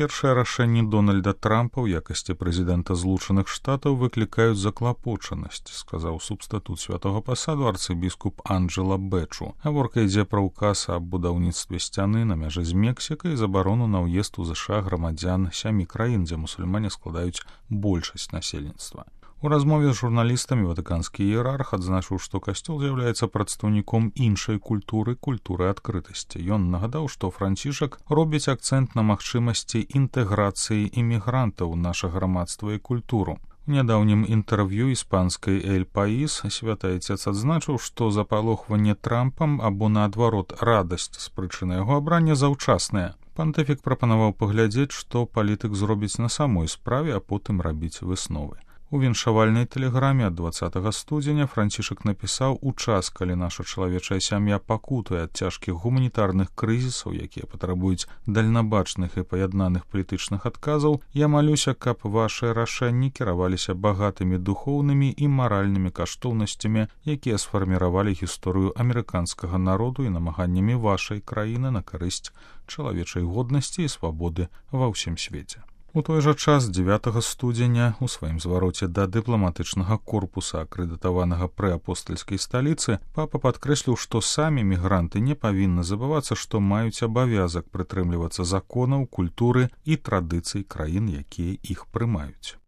Першыя рашэнні Дональда Трампа ў якасці прэзідэнта Злучаных Штатаў выклікаюць заклапочанасць, сказаў субстатут святога пасаду арцыбіскуп Анджела Бэчу. Гаворка ідзе пра ўказ аб будаўніцтве сцяны на мяжы з Мексікай і забарону на ўезд у ЗША грамадзян 7 краін, дзе мусульмане складаюць большасць насельніцтва. У размове з журналістамі ватыканскі іерарх адзначыў, што касцёл з'яўляецца прадстаўніком іншай культуры адкрытасці. Ён нагадаў, што Францішак робіць акцэнт на магчымасці інтэграцыі імігрантаў у наша грамадства і культуру. У нядаўнім інтэрв'ю іспанскай «Эль Паís» святы айцец адзначыў, што запалохванне Трампам або, наадварот, радасць з прычыны яго абрання заўчасныя. Пантыфік прапанаваў паглядзець, што палітык зробіць на самой справе, а потым рабіць высновы. У віншавальнай тэлеграме ад 20 студзеня Францішак напісаў: «У час, калі наша чалавечая сям'я пакутуе ад цяжкіх гуманітарных крызісаў, якія патрабуюць дальнабачных і паяднаных палітычных адказаў, я малюся, каб вашыя рашэнні кіраваліся багатымі духоўнымі і маральнымі каштоўнасцямі, якія сфарміравалі гісторыю амерыканскага народу і намаганнямі вашай краіны на карысць чалавечай годнасці і свабоды ва ўсім свеце». У той жа час 9 студзеня у сваім звароце да дыпламатычнага корпуса, акрэдытаванага пры апостальскай сталіцы, папа падкрэсліў, што самі мігранты не павінны забывацца, што маюць абавязак прытрымлівацца законаў, культуры і традыцый краін, якія іх прымаюць.